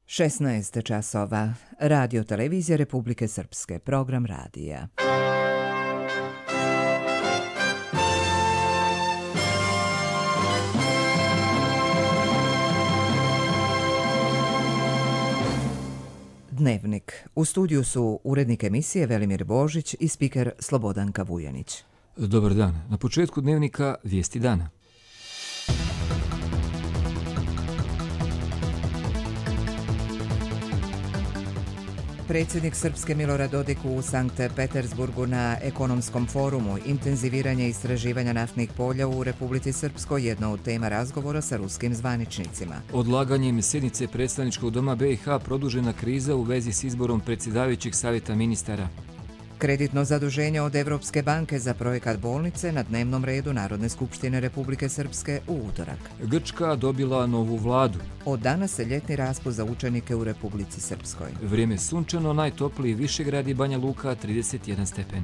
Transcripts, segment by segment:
16 časova. Radio televizija Republike Srpske. Program radija. Dnevnik. U studiju su urednik emisije Velimir Božić i spiker Slobodanka Vujanić. Dobar dan. Na početku dnevnika vijesti dana. Predsjednik Srpske Milorad Dodik u Sankt Petersburgu na ekonomskom forumu. Intenziviranje istraživanja naftnih polja u Republici Srpskoj jedno od tema razgovora sa ruskim zvaničnicima. Odlaganjem sjednice predstavničkog doma BiH produžena kriza u vezi s izborom predsjedavajućeg savjeta ministara. Kreditno zaduženje od Evropske banke za projekat bolnice na dnevnom redu Narodne skupštine Republike Srpske u utorak. Grčka dobila novu vladu. Od danas se ljetni raspust za učenike u Republici Srpskoj. Vrijeme sunčano, najtopliji Višegrad i Banja Luka 31 stepen.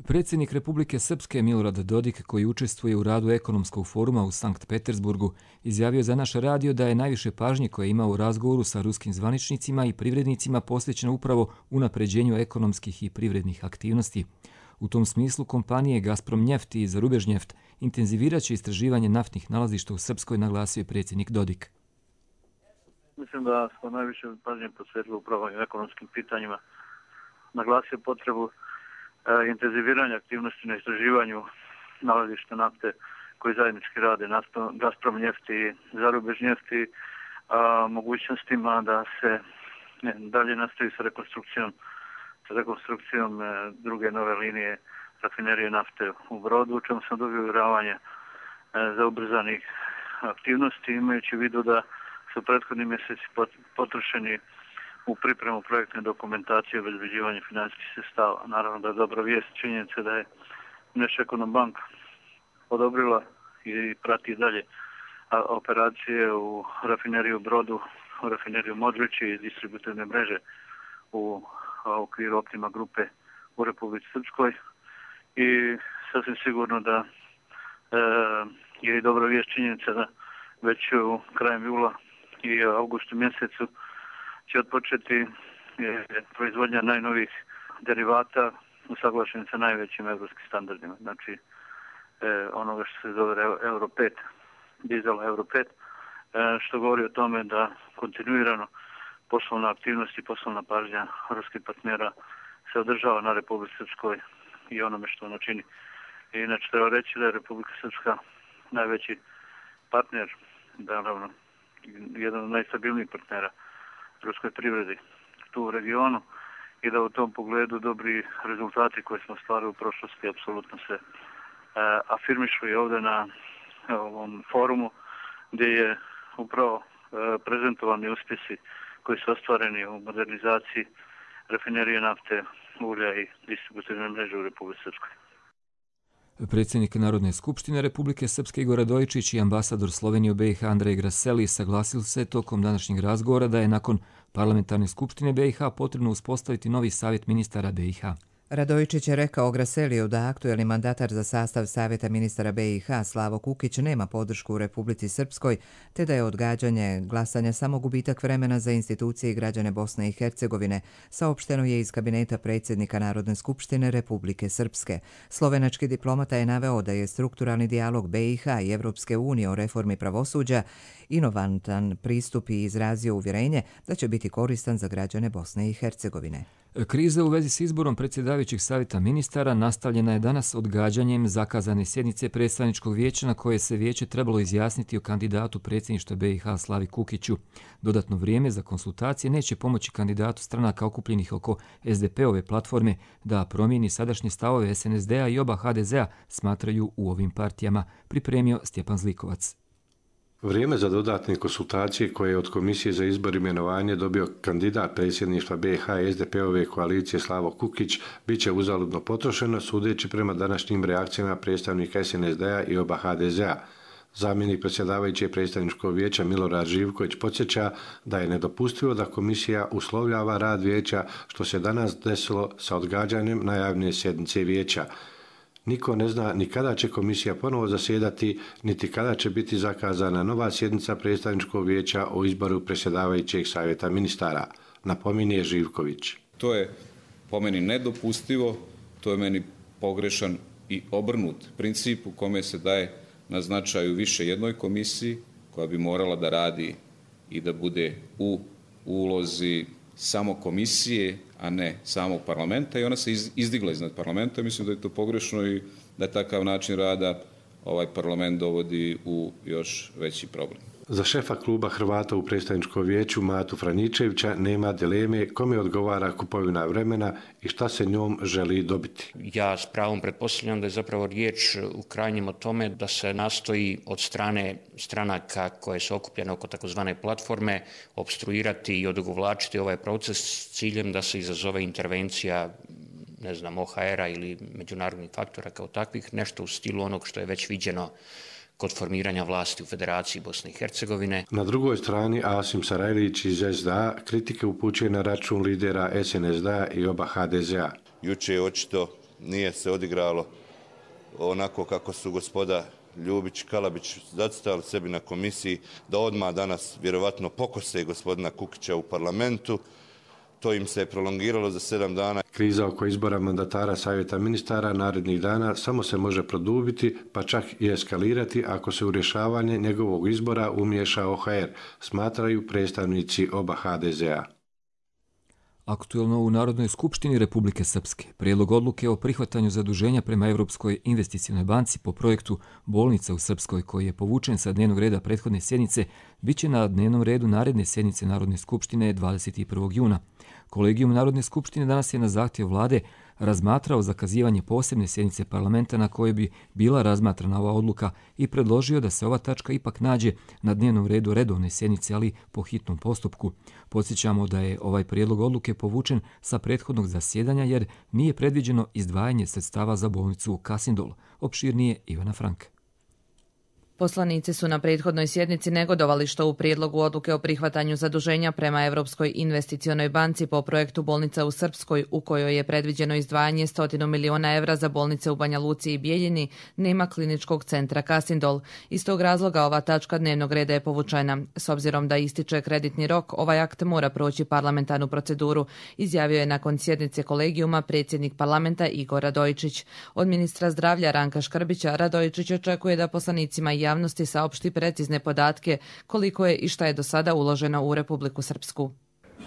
Predsjednik Republike Srpske Milorad Dodik, koji učestvuje u radu ekonomskog foruma u Sankt Petersburgu, izjavio za naš radio da je najviše pažnje koje je imao u razgovoru sa ruskim zvaničnicima i privrednicima posvećeno upravo unapređenju ekonomskih i privrednih aktivnosti. U tom smislu kompanije Gazprom Njeft i Zarubežnjeft intenzivirat će istraživanje naftnih nalazišta u Srpskoj, naglasio je predsjednik Dodik. Mislim da smo najviše pažnje posvetili upravo ekonomskim pitanjima. Naglasio potrebu intenziviranja aktivnosti na istraživanju nalazišta nafte koji zajednički rade Gazprom Njeft i Zarubežnjeft i mogućnostima da se dalje nastavi sa rekonstrukcijom druge nove linije rafinerije nafte u Brodu, u čemu sam dobio uvjeravanje za ubrzanih aktivnosti, imajući u vidu da su prethodni mjeseci potrošeni u pripremu projektne dokumentacije i obezbeđivanje financijskih sredstava. Naravno da je dobra vijest činjenica da je Neschekonombank odobrila i prati dalje operacije u rafineriju Brodu, u rafineriju Modrići i distributivne mreže u okviru Optima grupe u Republici Srpskoj. I sasvim sigurno da je i dobra vijest činjenica da već u krajem jula i avgustu mjesecu će otpočeti proizvodnja najnovijih derivata usaglašenih sa najvećim evropskim standardima. Znači, onoga što se zove Euro 5, dizel Euro 5, što govori o tome da kontinuirano poslovna aktivnost i poslovna pažnja ruskih partnera se održava na Republici Srpskoj i onome što ono čini. Inače, treba reći da je Republika Srpska najveći partner, naravno, jedan od najstabilnijih partnera ruskoj privredi tu u regionu i da u tom pogledu dobri rezultati koje smo ostvarili u prošlosti apsolutno se afirmišu i ovdje na ovom forumu gdje je upravo prezentovani uspjesi koji su ostvareni u modernizaciji rafinerije nafte, ulja i distributivne mreže u Republici Srpskoj. Predsjednik Narodne skupštine Republike Srpske Igor Radojičić i ambasador Slovenije u BiH Andrej Graseli saglasili se tokom današnjeg razgovora da je nakon parlamentarne skupštine BiH potrebno uspostaviti novi savjet ministara BiH. Radojičić je rekao Graseliju da aktuelni mandatar za sastav Savjeta ministara BiH Slavo Kukić nema podršku u Republici Srpskoj, te da je odgađanje glasanja samo gubitak vremena za institucije i građane Bosne i Hercegovine, saopšteno je iz kabineta predsjednika Narodne skupštine Republike Srpske. Slovenački diplomata je naveo da je strukturalni dijalog BiH i Evropske unije o reformi pravosuđa inovantan pristup i izrazio uvjerenje da će biti koristan za građane Bosne i Hercegovine. Kriza u vezi s izborom predsjedavajućeg savjeta ministara nastavljena je danas odgađanjem zakazane sjednice predstavničkog vijeća na koje se vijeće trebalo izjasniti o kandidatu predsjedništva BiH Slavi Kukiću. Dodatno vrijeme za konsultacije neće pomoći kandidatu stranaka okupljenih oko SDP-ove platforme da promijeni sadašnje stavove SNSD-a i oba HDZ-a, smatraju u ovim partijama, pripremio Stjepan Zlikovac. Vrijeme za dodatne konsultacije koje je od Komisije za izbor i imenovanje dobio kandidat predsjedništva BiH i SDP-ove koalicije Slavo Kukić bit će uzaludno potrošeno, sudeći prema današnjim reakcijama predstavnika SNSD-a i oba HDZ-a. Zamjenik predsjedavajućeg predstavničkog vijeća Milorad Živković podsjeća da je nedopustivo da komisija uslovljava rad vijeća, što se danas desilo sa odgađanjem najavljene sjednice vijeća. Niko ne zna ni kada će komisija ponovo zasjedati, niti kada će biti zakazana nova sjednica predstavničkog vijeća o izboru predsjedavajućeg savjeta ministara, napominje Živković. To je po meni nedopustivo, to je meni pogrešan i obrnut princip u kome se daje na značaju više jednoj komisiji koja bi morala da radi i da bude u ulozi samo komisije, a ne samog parlamenta, i ona se izdigla iznad parlamenta. Mislim da je to pogrešno i da takav način rada ovaj parlament dovodi u još veći problem. Za šefa kluba Hrvata u predstavničkom vijeću Matu Franjičevića nema dileme kome odgovara kupovina vremena i šta se njom želi dobiti. Ja s pravom pretpostavljam da je zapravo riječ u krajnjem o tome da se nastoji od strane stranaka koje su okupljene oko takozvane platforme opstruirati i odugovlačiti ovaj proces s ciljem da se izazove intervencija OHR-a ili međunarodnih faktora kao takvih, nešto u stilu onog što je već viđeno kod formiranja vlasti u Federaciji Bosne i Hercegovine. Na drugoj strani Asim Sarajlić iz SDA kritike upućuje na račun lidera SNSD-a i oba HDZ-a. Juče očito nije se odigralo onako kako su gospoda Ljubić i Kalabić zacrtali sebi na komisiji, da odmah danas vjerovatno pokose gospodina Kukića u parlamentu. To im se je prolongiralo za 7 dana. Kriza oko izbora mandatara savjeta ministara narednih dana samo se može produbiti, pa čak i eskalirati ako se u rješavanje njegovog izbora umiješa OHR, smatraju predstavnici oba HDZ-a. Aktuelno u Narodnoj skupštini Republike Srpske prijedlog odluke o prihvatanju zaduženja prema Europskoj investicionoj banci po projektu Bolnica u Srpskoj, koji je povučen sa dnevnog reda prethodne sjednice, bit će na dnevnom redu naredne sjednice Narodne skupštine 21. juna. Kolegijum Narodne skupštine danas je na zahtjev vlade razmatrao zakazivanje posebne sjednice parlamenta na kojoj bi bila razmatrana ova odluka i predložio da se ova tačka ipak nađe na dnevnom redu redovne sjednice, ali po hitnom postupku. Podsjećamo da je ovaj prijedlog odluke povučen sa prethodnog zasjedanja jer nije predviđeno izdvajanje sredstava za bolnicu u Kasindol. Opširnije Ivana Frank. Poslanici su na prethodnoj sjednici negodovali što u prijedlogu odluke o prihvatanju zaduženja prema Europskoj investicionoj banci po projektu Bolnica u Srpskoj, u kojoj je predviđeno izdvajanje 100 miliona evra za bolnice u Banja Luci i Bijeljini, nema kliničkog centra Kasindol. Iz tog razloga ova tačka dnevnog reda je povučena. S obzirom da ističe kreditni rok, ovaj akt mora proći parlamentarnu proceduru, izjavio je nakon sjednice kolegijuma predsjednik parlamenta Igor Radojičić. Od ministra zdravlja Ranka Škrbića Radojičić očekuje da poslanicima i javnosti saopšti precizne podatke koliko je i šta je do sada uloženo u Republiku Srpsku.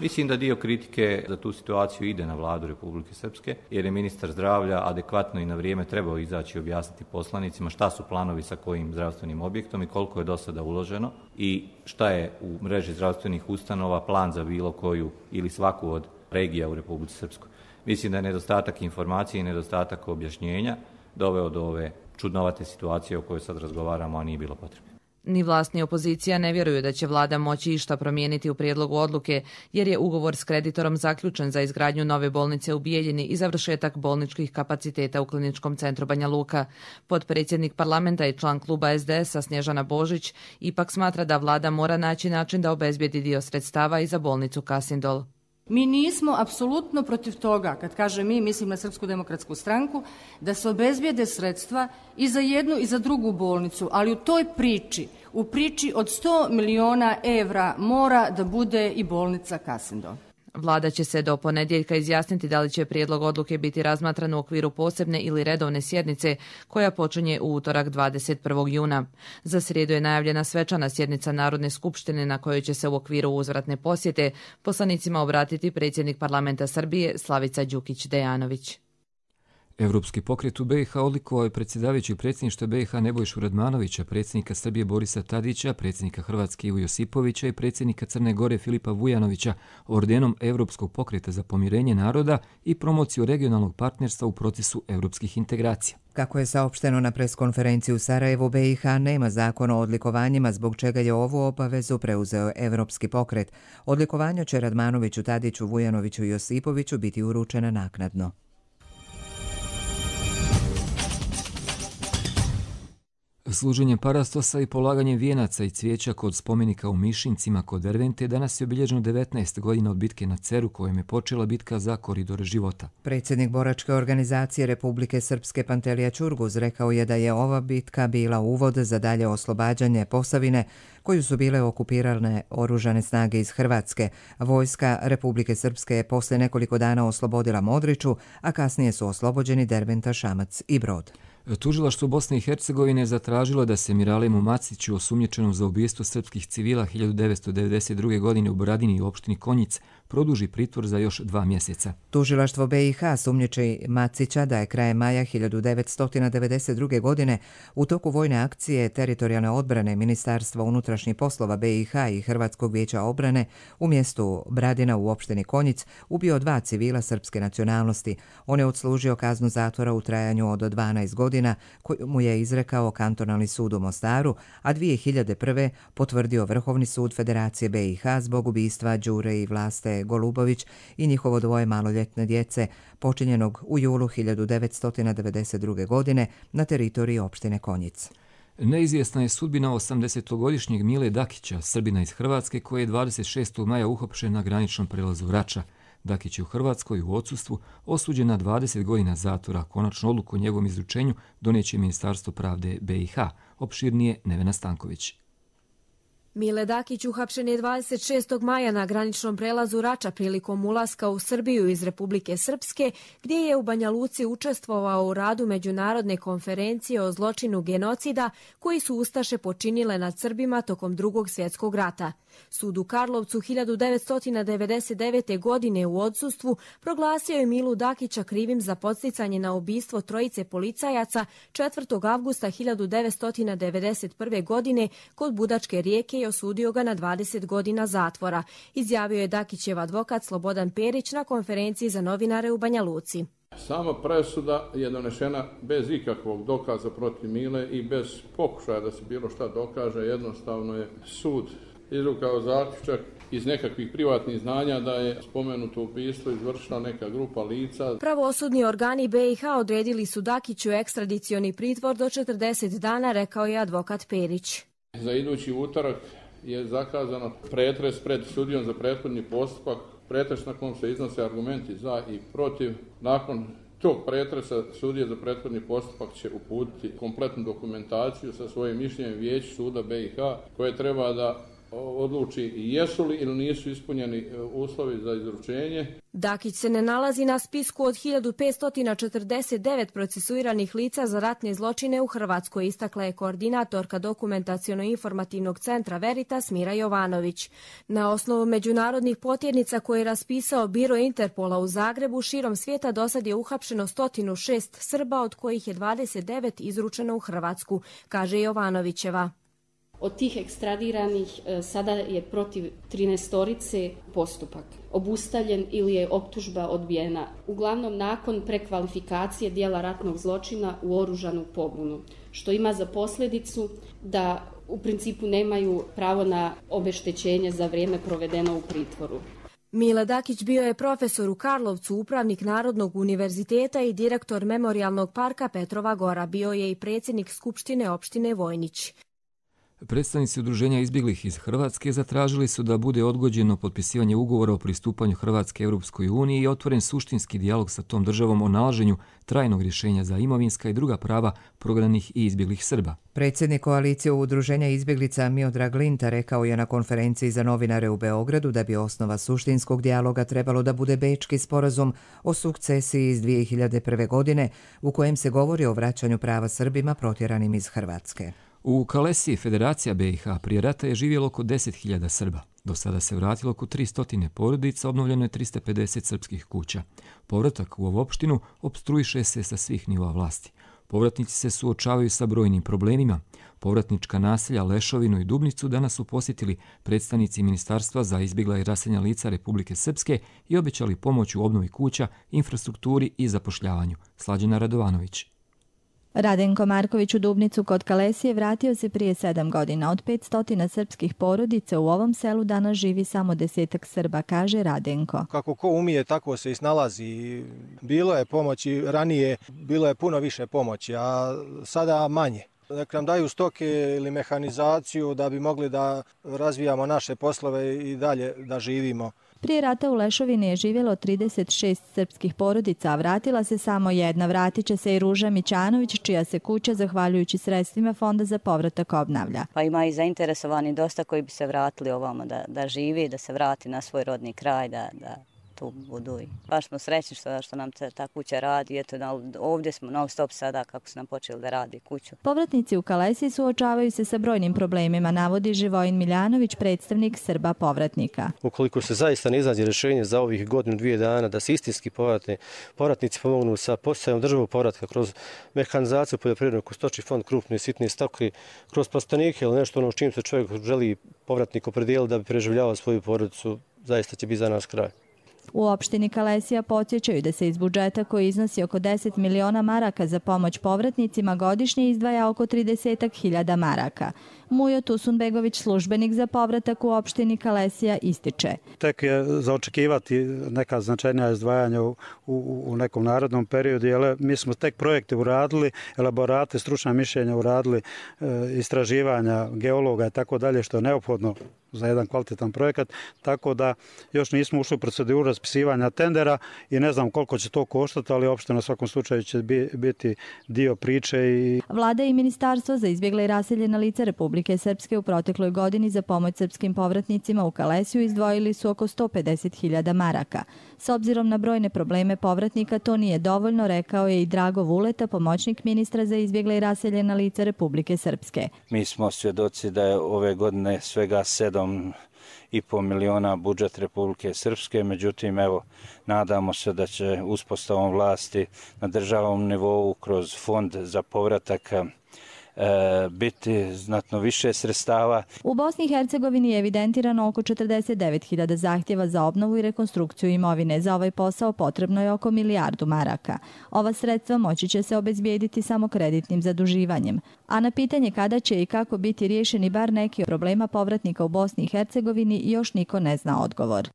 Mislim da dio kritike za tu situaciju ide na vladu Republike Srpske, jer je ministar zdravlja adekvatno i na vrijeme trebao izaći i objasniti poslanicima šta su planovi sa kojim zdravstvenim objektom i koliko je do sada uloženo i šta je u mreži zdravstvenih ustanova plan za bilo koju ili svaku od regija u Republici Srpskoj. Mislim da je nedostatak informacije i nedostatak objašnjenja doveo do ove čudnovate situacije o kojoj sad razgovaramo, a nije bilo potrebe. Ni vlast ni opozicija ne vjeruju da će vlada moći išta promijeniti u prijedlogu odluke, jer je ugovor s kreditorom zaključen za izgradnju nove bolnice u Bijeljini i završetak bolničkih kapaciteta u kliničkom centru Banja Luka. Potpredsjednik parlamenta i član kluba SDS-a Snježana Božić ipak smatra da vlada mora naći način da obezbijedi dio sredstava i za bolnicu Kasindol. Mi nismo apsolutno protiv toga, kad kažem mi, mislim na Srpsku demokratsku stranku, da se obezbijede sredstva i za jednu i za drugu bolnicu, ali u toj priči, u priči od 100 miliona evra mora da bude i bolnica Kasindol. Vlada će se do ponedjeljka izjasniti da li će prijedlog odluke biti razmatran u okviru posebne ili redovne sjednice koja počinje u utorak 21. juna. Za srijedu je najavljena svečana sjednica Narodne skupštine na kojoj će se u okviru uzvratne posjete poslanicima obratiti predsjednik parlamenta Srbije Slavica Đukić-Dejanović. Evropski pokret u BiH odlikovao je predsjedavajućeg predsjedništva BiH Nebojšu Radmanovića, predsjednika Srbije Borisa Tadića, predsjednika Hrvatske Ivu Josipovića i predsjednika Crne Gore Filipa Vujanovića ordenom Evropskog pokreta za pomirenje naroda i promociju regionalnog partnerstva u procesu evropskih integracija. Kako je saopšteno na preskonferenciji u Sarajevu, BiH nema zakon o odlikovanjima, zbog čega je ovu obavezu preuzeo Evropski pokret. Odlikovanja će Radmanoviću, Tadiću, Vujanoviću i Josipoviću biti uručena naknadno. Služenjem parastosa i polaganjem vijenaca i cvijeća kod spomenika u Mišincima kod Dervente danas je obilježeno 19 godina od bitke na Ceru kojom je počela bitka za koridor života. Predsjednik boračke organizacije Republike Srpske Pantelija Ćurguz rekao je da je ova bitka bila uvod za dalje oslobađanje Posavine koju su bile okupirane oružane snage iz Hrvatske. Vojska Republike Srpske je poslije nekoliko dana oslobodila Modriču, a kasnije su oslobođeni Derventa, Šamac i Brod. Tužilaštvo Bosne i Hercegovine zatražilo da se Miralemu Maciću, osumnjičenom za ubijstvo srpskih civila 1992. godine u Bradini i opštini Konjic, produži pritvor za još 2 mjeseca. Tužilaštvo BiH sumnjiči Macića da je krajem maja 1992. godine u toku vojne akcije teritorijalne odbrane Ministarstva unutrašnjih poslova BiH i Hrvatskog vijeća obrane u mjestu Bradina u opštini Konjic ubio 2 civila srpske nacionalnosti. On je odslužio kaznu zatvora u trajanju od 12 godina koju mu je izrekao kantonalni sud u Mostaru, a 2001. potvrdio Vrhovni sud Federacije BiH zbog ubistva Đure i Vlaste Golubović i njihovo 2 maloljetne djece, počinjenog u julu 1992. godine na teritoriji opštine Konjic. Neizvjesna je sudbina 80-godišnjeg Mile Dakića, Srbina iz Hrvatske, koji je 26. maja uhapšen na graničnom prelazu Rača. Dakić je u Hrvatskoj u odsustvu osuđen na 20 godina zatvora. Konačnu odluku o njegovom izručenju doneće Ministarstvo pravde BiH. Opširnije Nevena Stanković. Mile Dakić uhapšen je 26. maja na graničnom prelazu Rača prilikom ulaska u Srbiju iz Republike Srpske, gdje je u Banja Luci učestvovao u radu Međunarodne konferencije o zločinu genocida koji su ustaše počinile nad Srbima tokom Drugog svjetskog rata. Sud u Karlovcu 1999. godine u odsustvu proglasio je Milu Dakića krivim za podsticanje na ubistvo 3 policajaca 4. avgusta 1991. godine kod Budačke rijeke i osudio ga na 20 godina zatvora, izjavio je Dakićev advokat Slobodan Perić na konferenciji za novinare u Banja Luci. Sama presuda je donešena bez ikakvog dokaza protiv Mile i bez pokušaja da se bilo šta dokaže. Jednostavno je sud izvukao zaključak iz nekakvih privatnih znanja da je spomenuto ubistvo izvršila neka grupa lica. Pravosudni organi BiH odredili su Dakiću ekstradicioni pritvor do 40 dana, rekao je advokat Perić. Za idući utorak je zakazano pretres pred sudijom za prethodni postupak, pretres na kom se iznose argumenti za i protiv. Nakon tog pretresa sudija za prethodni postupak će uputiti kompletnu dokumentaciju sa svojim mišljenjem Vijeću suda BiH koje treba da odluči jesu li ili nisu ispunjeni uslovi za izručenje. Dakić se ne nalazi na spisku od 1549 procesuiranih lica za ratne zločine u Hrvatskoj, istakla je koordinatorka Dokumentaciono-informativnog centra Veritas Mira Jovanović. Na osnovu međunarodnih potjernica koje je raspisao Biro Interpola u Zagrebu, širom svijeta dosad je uhapšeno 106 Srba, od kojih je 29 izručeno u Hrvatsku, kaže Jovanovićeva. Od tih ekstradiranih sada je protiv 13 postupak obustavljen ili je optužba odbijena, uglavnom nakon prekvalifikacije dijela ratnog zločina u oružanu pobunu, što ima za posljedicu da u principu nemaju pravo na obeštećenje za vrijeme provedeno u pritvoru. Mile Dakić bio je profesor u Karlovcu, upravnik Narodnog univerziteta i direktor Memorijalnog parka Petrova Gora. Bio je i predsjednik Skupštine opštine Vojnić. Predstavnici udruženja izbjeglih iz Hrvatske zatražili su da bude odgođeno potpisivanje ugovora o pristupanju Hrvatske Europskoj uniji i otvoren suštinski dijalog sa tom državom o nalaženju trajnog rješenja za imovinska i druga prava prognanih i izbjeglih Srba. Predsjednik koalicije udruženja izbjeglica Miodrag Linta rekao je na konferenciji za novinare u Beogradu da bi osnova suštinskog dijaloga trebalo da bude Bečki sporazum o sukcesiji iz 2001. godine u kojem se govori o vraćanju prava Srbima protjeranim iz Hrvatske. U Kalesiji Federacija BiH prije rata je živjelo oko 10.000 Srba. Do sada se vratilo oko 300 porodica, obnovljeno je 350 srpskih kuća. Povratak u ovu opštinu opstruiše se sa svih nivoa vlasti. Povratnici se suočavaju sa brojnim problemima. Povratnička naselja Lešovinu i Dubnicu danas su posjetili predstavnici Ministarstva za izbjegla i raseljena lica Republike Srpske i obećali pomoć u obnovi kuća, infrastrukturi i zapošljavanju. Slađana Radovanović. Radenko Marković u Dubnicu kod Kalesije vratio se prije 7 godina. Od 500 srpskih porodica u ovom selu danas živi samo 10 Srba, kaže Radenko. Kako ko umije, tako se i snalazi. Bilo je pomoći ranije, bilo je puno više pomoći, a sada manje. Nek nam daju stoke ili mehanizaciju da bi mogli da razvijamo naše poslove i dalje da živimo. Prije rata u Lešovini je živjelo 36 srpskih porodica, a vratila se samo jedna. Vratit će se i Ruža Mićanović, čija se kuća, zahvaljujući sredstvima Fonda za povratak, obnavlja. Pa ima i zainteresovani dosta koji bi se vratili ovamo da živi, da se vrati na svoj rodni kraj, da tu budu. Baš smo srećni što nam ta kuća radi. Eto, ovdje smo non stop sada kako su nam počeli da radi kuću. Povratnici u Kalesiji suočavaju se sa brojnim problemima, navodi Živojin Miljanović, predstavnik Srba povratnika. Ukoliko se zaista ne iznađe rješenje za ovih godinu, 2 dana, da se istinski povratnici pomognu sa podsticajom državnog povratka kroz mehanizaciju poljoprivrednog, kroz stočni fond, krupne i sitne stoke, kroz plastenike ili nešto s čim se čovjek želi povratnik opredijeliti da bi preživljavao svoju porodicu, zaista će biti za nas kraj. U opštini Kalesija podsjećaju da se iz budžeta koji iznosi oko 10 miliona maraka za pomoć povratnicima godišnje izdvaja oko 30.000 maraka. Mujo Tusunbegović, službenik za povratak u opštini Kalesija, ističe. Tek je za očekivati neka značajnija izdvajanja u nekom narodnom periodu, jer mi smo tek projekte uradili, elaborate, stručna mišljenja uradili, istraživanja geologa i tako dalje, što je neophodno za jedan kvalitetan projekat, tako da još nismo ušli u proceduru raspisivanja tendera i ne znam koliko će to koštati, ali opština na svakom slučaju će biti dio priče. Vlada i Ministarstvo za izbjegle i raseljena lica Republike Srpske u protekloj godini za pomoć srpskim povratnicima u Kalesiju izdvojili su oko 150.000 maraka. S obzirom na brojne probleme povratnika, to nije dovoljno, rekao je i Drago Vuleta, pomoćnik ministra za izbjegle i raseljena lica Republike Srpske. Mi smo svjedoci da je ove godine svega 7,5 miliona budžet Republike Srpske, međutim, evo, nadamo se da će uspostavom vlasti na državnom nivou kroz fond za povratak biti znatno više sredstava. U Bosni i Hercegovini je evidentirano oko 49.000 zahtjeva za obnovu i rekonstrukciju imovine. Za ovaj posao potrebno je oko 1 milijardu maraka. Ova sredstva moći će se obezbijediti samo kreditnim zaduživanjem. A na pitanje kada će i kako biti riješeni bar neki od problema povratnika u Bosni i Hercegovini još niko ne zna odgovor.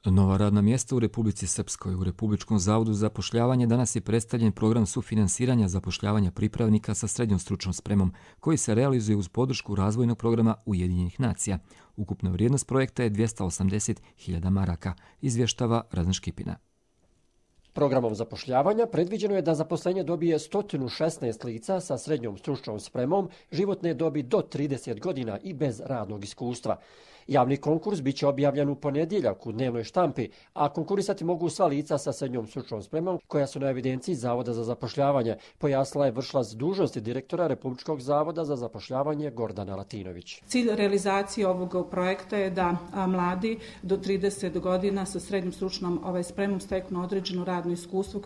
Nova radna mjesta u Republici Srpskoj. U Republičkom zavodu za zapošljavanje danas je predstavljen program sufinansiranja zapošljavanja pripravnika sa srednjom stručnom spremom, koji se realizuje uz podršku razvojnog programa Ujedinjenih nacija. Ukupna vrijednost projekta je 280.000 maraka, izvještava Razan Škipina. Programom zapošljavanja predviđeno je da zaposlenje dobije 116 lica sa srednjom stručnom spremom, životne dobi do 30 godina i bez radnog iskustva. Javni konkurs biće objavljen u ponedjeljak u dnevnoj štampi, a konkurisati mogu sva lica sa srednjom stručnom spremom koja su na evidenciji Zavoda za zapošljavanje, pojasnila je vršilac dužnosti direktora Republičkog zavoda za zapošljavanje Gordana Latinović. Cilj realizacije ovog projekta je da mladi do 30 godina sa srednjom stručnom spremom steknu određeno radno iskustvo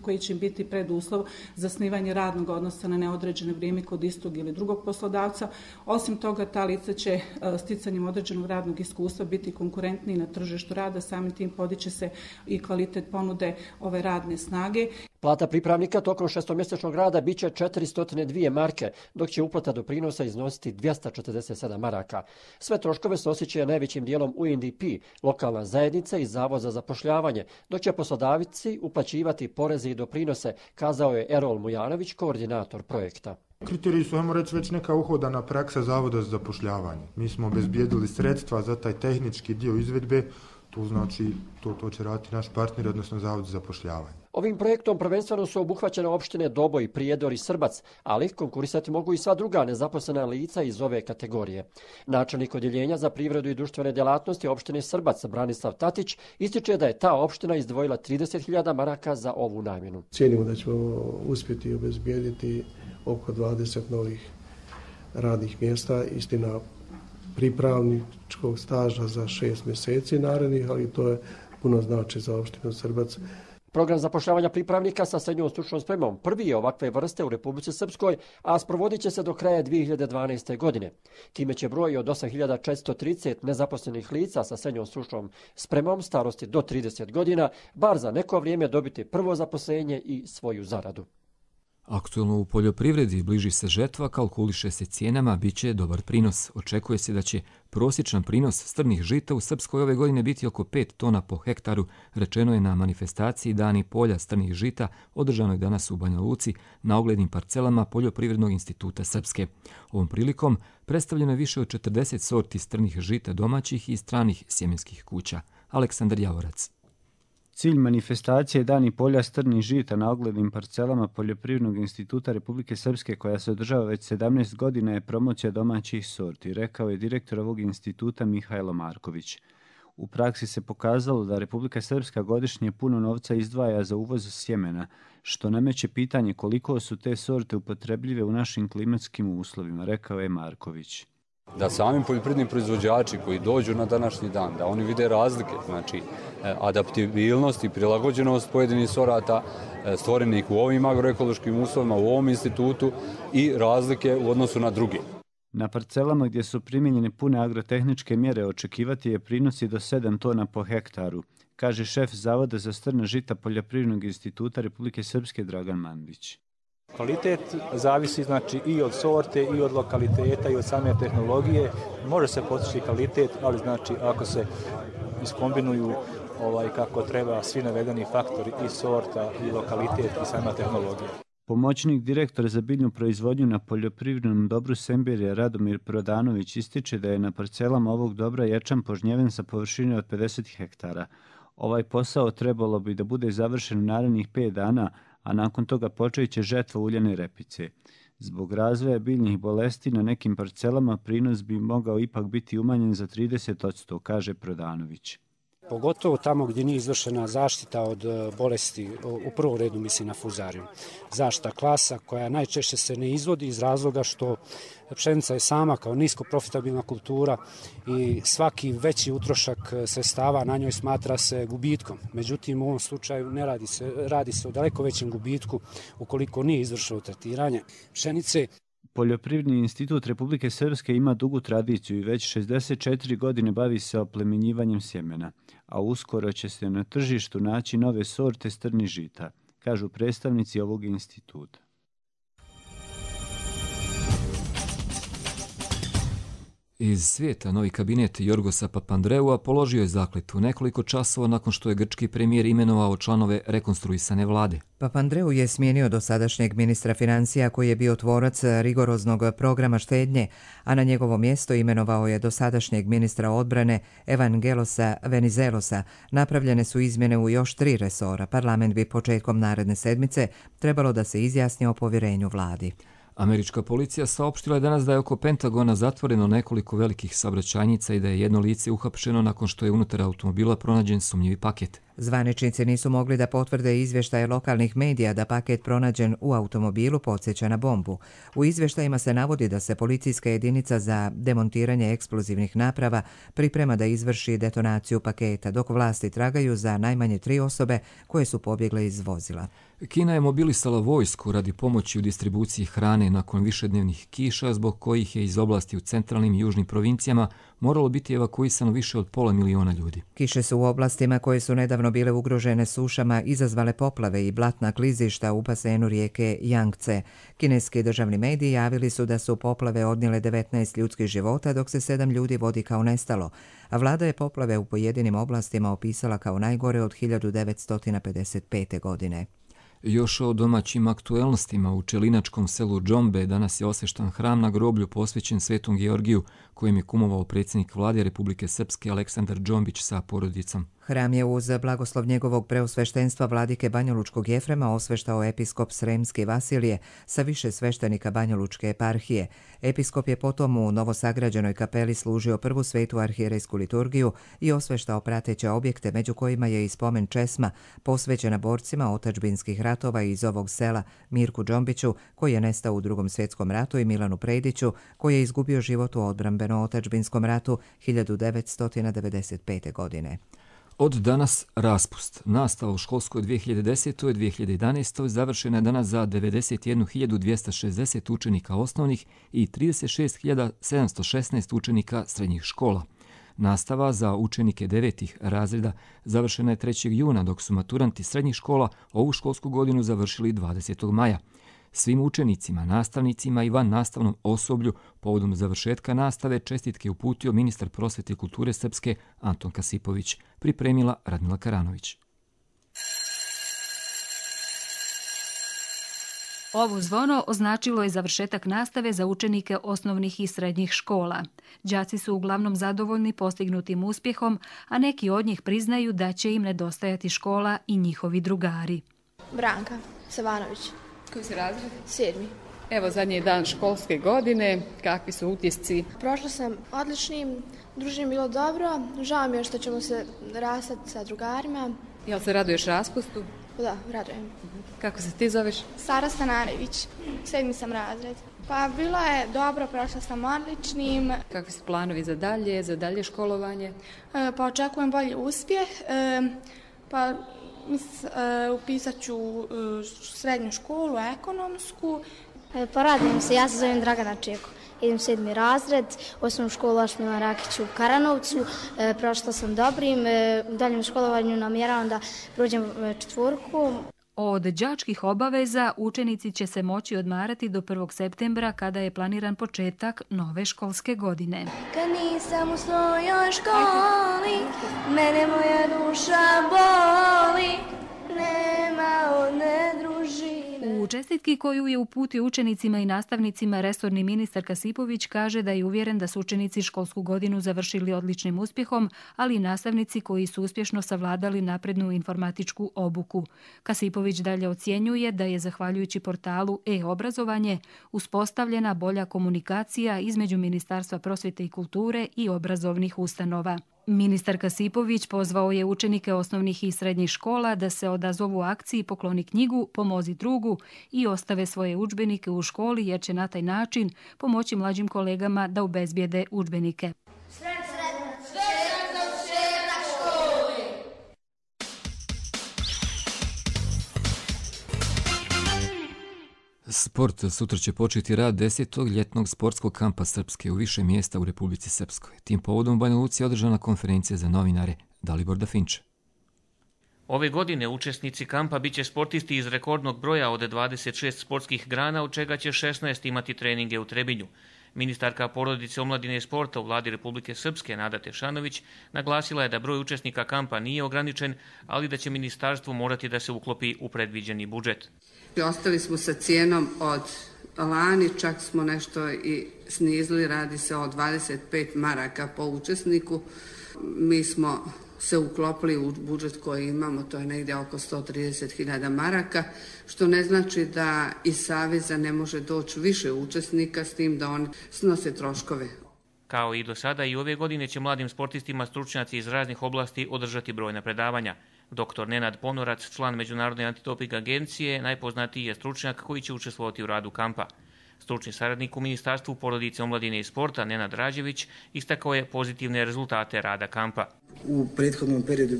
koji će biti preduslov za zasnivanje radnog odnosa na neodređeno vrijeme kod istog ili drugog poslodavca. Osim toga, ta lica će sticanjem određenog radnog iskustva biti konkurentniji na tržištu rada, samim tim podiće se i kvalitet ponude ove radne snage. Plata pripravnika tokom 6-mjesečnog rada biće 402 marke, dok će uplata doprinosa iznositi 247 maraka. Sve troškove snosit će najvećim dijelom UNDP, lokalna zajednica i Zavod za zapošljavanje, dok će poslodavci uplaćivati poreze i doprinose, kazao je Erol Mujanović, koordinator projekta. Kriteriji su, ajmo reći, već neka uhodana praksa Zavoda za zapošljavanje. Mi smo obezbijedili sredstva za taj tehnički dio izvedbe, to znači to će raditi naš partner, odnosno Zavod za zapošljavanje. Ovim projektom prvenstveno su obuhvaćene opštine Doboj, Prijedor i Srbac, ali konkurisati mogu i sva druga nezaposlena lica iz ove kategorije. Načelnik odjeljenja za privredu i društvene djelatnosti opštine Srbac, Branislav Tatić, ističe da je ta opština izdvojila 30.000 maraka za ovu namjenu. Cijenimo da ćemo uspjeti obezbijediti oko 20 novih radnih mjesta, istina pripravničkog staža za 6 mjeseci narednih, ali to je puno znači za opštinu Srbac. Program zapošljavanja pripravnika sa srednjom stručnom spremom prvi je ovakve vrste u Republici Srpskoj, a sprovodit će se do kraja 2012. godine. Time će broj od 8.430 nezaposlenih lica sa srednjom stručnom spremom starosti do 30 godina bar za neko vrijeme dobiti prvo zaposlenje i svoju zaradu. Aktualno u poljoprivredi bliži se žetva, kalkuliše se cijenama, bit će dobar prinos. Očekuje se da će prosječan prinos strnih žita u Srpskoj ove godine biti oko 5 tona po hektaru, rečeno je na manifestaciji Dani polja strnih žita održanoj danas u Banja Luci na oglednim parcelama Poljoprivrednog instituta Srpske. Ovom prilikom predstavljeno je više od 40 sorti strnih žita domaćih i stranih sjemenskih kuća. Aleksandar Javorac. Cilj manifestacije Dani polja strnih žita na oglednim parcelama Poljoprivrednog instituta Republike Srpske, koja se održava već 17 godina, je promocija domaćih sorti, rekao je direktor ovog instituta Mihajlo Marković. U praksi se pokazalo da Republika Srpska godišnje puno novca izdvaja za uvoz sjemena, što nameće pitanje koliko su te sorte upotrebljive u našim klimatskim uslovima, rekao je Marković. Da sami poljoprivredni proizvođači koji dođu na današnji dan, da oni vide razlike, znači adaptibilnost i prilagođenost pojedinih sorata stvorenih u ovim agroekološkim uslovima, u ovom institutu i razlike u odnosu na druge. Na parcelama gdje su primijenjene pune agrotehničke mjere očekivati je prinosi do 7 tona po hektaru, kaže šef Zavoda za strna žita Poljoprivrednog instituta Republike Srpske Dragan Mandić. Kvalitet zavisi znači i od sorte i od lokaliteta i od same tehnologije. Može se postići kvalitet, ali znači ako se iskombinuju kako treba svi navedeni faktori i sorta i lokalitet i sama tehnologija. Pomoćnik direktora za biljnu proizvodnju na poljoprivrednom dobru Semberija Radomir Prodanović ističe da je na parcelama ovog dobra ječam požnjeven sa površine od 50 hektara. Ovaj posao trebalo bi da bude završen u narednih 5 dana, a nakon toga počet će žetva uljane repice. Zbog razvoja biljnih bolesti na nekim parcelama prinos bi mogao ipak biti umanjen za 30%, kaže Prodanović. Pogotovo tamo gdje nije izvršena zaštita od bolesti, u prvom redu mislim na fuzariju. Zaštita klasa koja najčešće se ne izvodi iz razloga što pšenica je sama kao nisko profitabilna kultura i svaki veći utrošak sredstava na njoj smatra se gubitkom. Međutim, u ovom slučaju ne radi se o daleko većem gubitku ukoliko nije izvršeno tretiranje pšenice. Poljoprivredni institut Republike Srpske ima dugu tradiciju i već 64 godine bavi se oplemenjivanjem sjemena, a uskoro će se na tržištu naći nove sorte strnih žita, kažu predstavnici ovog instituta. Iz svijeta novi kabinet Jorgosa Papandreua položio je zakletvu nekoliko časova nakon što je grčki premijer imenovao članove rekonstruisane vlade. Papandreou je smijenio dosadašnjeg ministra financija koji je bio tvorac rigoroznog programa štednje, a na njegovo mjesto imenovao je dosadašnjeg ministra odbrane Evangelosa Venizelosa. Napravljene su izmjene u još 3 resora. Parlament bi početkom naredne sedmice trebalo da se izjasni o povjerenju vladi. Američka policija saopštila je danas da je oko Pentagona zatvoreno nekoliko velikih saobraćajnica i da je jedno lice uhapšeno nakon što je unutar automobila pronađen sumnjivi paket. Zvaničnici nisu mogli da potvrde izvještaje lokalnih medija da paket pronađen u automobilu podsjeća na bombu. U izvještajima se navodi da se policijska jedinica za demontiranje eksplozivnih naprava priprema da izvrši detonaciju paketa, dok vlasti tragaju za najmanje 3 osobe koje su pobjegle iz vozila. Kina je mobilisala vojsku radi pomoći u distribuciji hrane nakon višednevnih kiša, zbog kojih je iz oblasti u centralnim i južnim provincijama moralo biti evakuisano više od 500 miliona ljudi. Kiše su u oblastima koje su nedavno bile ugrožene sušama izazvale poplave i blatna klizišta u basenu rijeke Jangtze. Kineski državni mediji javili su da su poplave odnijele 19 ljudskih života, dok se 7 ljudi vodi kao nestalo, a vlada je poplave u pojedinim oblastima opisala kao najgore od 1955. godine. Još o domaćim aktuelnostima u čelinačkom selu Džombe danas je osveštan hram na groblju posvećen Svetom Georgiju, kojem je kumovao predsjednik vlade Republike Srpske Aleksandar Džombić sa porodicom. Hram je uz blagoslov njegovog preosveštenstva vladike Banjalučkog Jefrema osveštao episkop Sremski Vasilije sa više sveštenika Banjalučke eparhije. Episkop je potom u novosagrađenoj kapeli služio prvu svetu arhijerejsku liturgiju i osveštao prateće objekte, među kojima je i spomen česma posvećena borcima otadžbinskih ratova iz ovog sela, Mirku Džombiću, koji je nestao u Drugom svjetskom ratu, i Milanu Prediću, koji je izgubio život u odbrambeno-otadžbinskom ratu 1995. godine. Od danas raspust. Nastava u školskoj 2010. i 2011. završena je danas za 91.260 učenika osnovnih i 36.716 učenika srednjih škola. Nastava za učenike 9. razreda završena je 3. juna, dok su maturanti srednjih škola ovu školsku godinu završili 20. maja. Svim učenicima, nastavnicima i van nastavnom osoblju povodom završetka nastave čestitke uputio ministar prosvete i kulture Srpske Anton Kasipović, pripremila Radmila Karanović. Ovo zvono označilo je završetak nastave za učenike osnovnih i srednjih škola. Đaci su uglavnom zadovoljni postignutim uspjehom, a neki od njih priznaju da će im nedostajati škola i njihovi drugari. Branka Savanović. Koji si razred? 7. Evo zadnji dan školske godine, kakvi su utisci? Prošla sam odličnim, druženje bilo dobro, žao mi je što ćemo se rastati sa drugarima. Jel se raduješ raspustu? Da, radujem. Kako se ti zoveš? Sara Stanarević, 7. sam razred. Pa bilo je dobro, prošla sam odličnim. Kakvi su planovi za dalje školovanje? Pa očekujem bolji uspjeh, pa upisat ću srednju školu, ekonomsku. Pa radujem se, ja se zovem Dragana Čeko. Idem 7. razred, osnovnu školu Ašmila Rakić u Karanovcu. Prošla sam dobrim, u daljem školovanju namjeravam da prođem 4. Od đačkih obaveza učenici će se moći odmarati do 1. septembra kada je planiran početak nove školske godine. Kad nisam u svojoj školi, mene moja duša boli, nema one družine. U čestitki koju je uputio učenicima i nastavnicima resorni ministar Kasipović kaže da je uvjeren da su učenici školsku godinu završili odličnim uspjehom, ali i nastavnici koji su uspješno savladali naprednu informatičku obuku. Kasipović dalje ocjenjuje da je zahvaljujući portalu e-obrazovanje uspostavljena bolja komunikacija između Ministarstva prosvjete i kulture i obrazovnih ustanova. Ministar Kasipović pozvao je učenike osnovnih i srednjih škola da se odazovu akciji Pokloni knjigu, pomozi drugu i ostave svoje udžbenike u školi jer će na taj način pomoći mlađim kolegama da obezbijede udžbenike. Sport. Sutra će početi rad 10. ljetnog sportskog kampa Srpske u više mjesta u Republici Srpskoj. Tim povodom u Banja Luci je održana konferencija za novinare. Dalibor Dafinče. Ove godine učesnici kampa biće sportisti iz rekordnog broja od 26 sportskih grana, od čega će 16 imati treninge u Trebinju. Ministarka porodice, omladine i sporta u vladi Republike Srpske, Nada Tešanović, naglasila je da broj učesnika kampa nije ograničen, ali da će ministarstvo morati da se uklopi u predviđeni budžet. Ostali smo sa cijenom od lani, čak smo nešto i snizili, radi se o 25 maraka po učesniku. Mi smo se uklopili u budžet koji imamo, to je negdje oko 130.000 maraka, što ne znači da iz Saveza ne može doći više učesnika, s tim da oni snose troškove. Kao i do sada, i ove godine će mladim sportistima stručnjaci iz raznih oblasti održati brojna predavanja. Dr. Nenad Ponorac, član Međunarodne antidoping agencije, najpoznatiji je stručnjak koji će učestvovati u radu kampa. Stručni saradnik u Ministarstvu porodice, omladine i sporta Nenad Rađević istakao je pozitivne rezultate rada kampa. U prethodnom periodu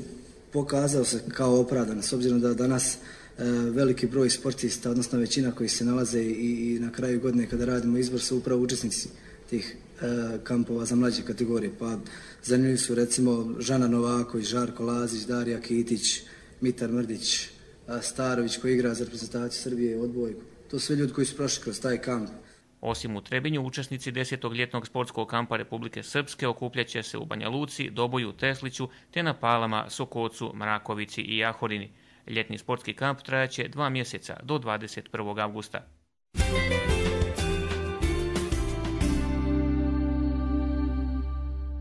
pokazao se kao opravdan, s obzirom da danas veliki broj sportista, odnosno većina koji se nalaze i na kraju godine kada radimo izbor su upravo učesnici tih kampova za mlađe kategorije. Pa zanimljivi su recimo Žana Novaković, Žarko Lazić, Darija Kitić, Mitar Mrdić, Starović koji igra za reprezentaciju Srbije u odbojku. To su sve ljudi koji su prošli kroz taj kamp. Osim u Trebinju, učesnici 10. ljetnog sportskog kampa Republike Srpske okupljaće se u Banja Luci, Doboju, Tesliću, te na Palama, Sokocu, Mrakovici i Jahorini. Ljetni sportski kamp trajaće 2 mjeseca do 21. avgusta.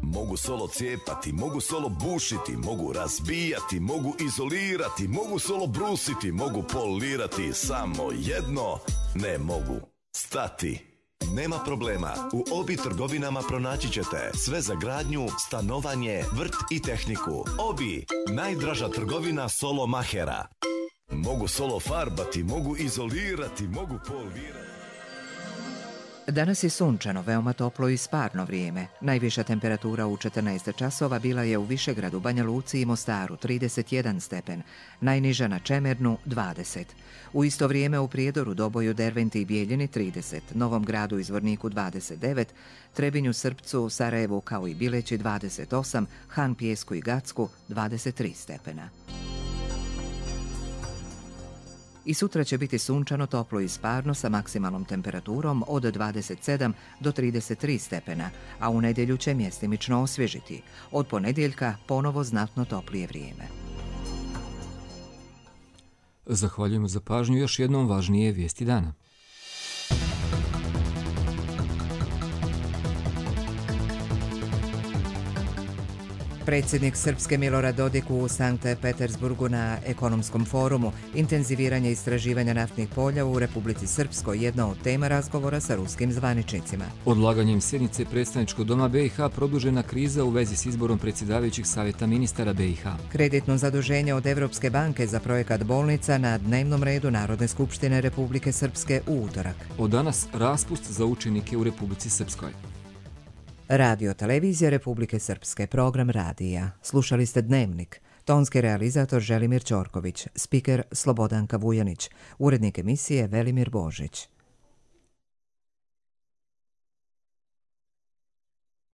Mogu solo cijepati, mogu solo bušiti, mogu razbijati, mogu izolirati, mogu solo brusiti, mogu polirati, samo jedno ne mogu stati. Nema problema, u Obi trgovinama pronaći ćete sve za gradnju, stanovanje, vrt i tehniku. Obi, najdraža trgovina solo mahera. Mogu solo farbati, mogu izolirati, mogu polirati. Danas je sunčano, veoma toplo i sparno vrijeme. Najviša temperatura u 14 časova bila je u Višegradu, Banja Luci i Mostaru 31 stepen, najniža na Čemernu 20. U isto vrijeme u Prijedoru, Doboju, Derventi i Bijeljini 30, Novom Gradu i Zvorniku 29, Trebinju, Srpcu, Sarajevu kao i Bileći 28, Han Pijesku i Gacku 23 stepena. I sutra će biti sunčano, toplo i sparno sa maksimalnom temperaturom od 27 do 33 stepena, a u nedjelju će mjestimično osvježiti. Od ponedjeljka ponovo znatno toplije vrijeme. Zahvaljujemo za pažnju. Još jednom važnije vijesti dana. Predsjednik Srpske Milorad Dodik u Sankt Petersburgu na ekonomskom forumu. Intenziviranje istraživanja naftnih polja u Republici Srpskoj jedna od tema razgovora sa ruskim zvaničnicima. Odlaganjem sjednice predstavničkog doma BiH produžena kriza u vezi s izborom predsjedavajućih savjeta ministara BiH. Kreditno zaduženje od Evropske banke za projekat bolnica na dnevnom redu Narodne skupštine Republike Srpske u utorak. Od danas raspust za učenike u Republici Srpskoj. Radio televizija Republike Srpske, program radija. Slušali ste Dnevnik. Tonski realizator Želimir Ćorković, spiker Slobodanka Vujanić, urednik emisije Velimir Božić.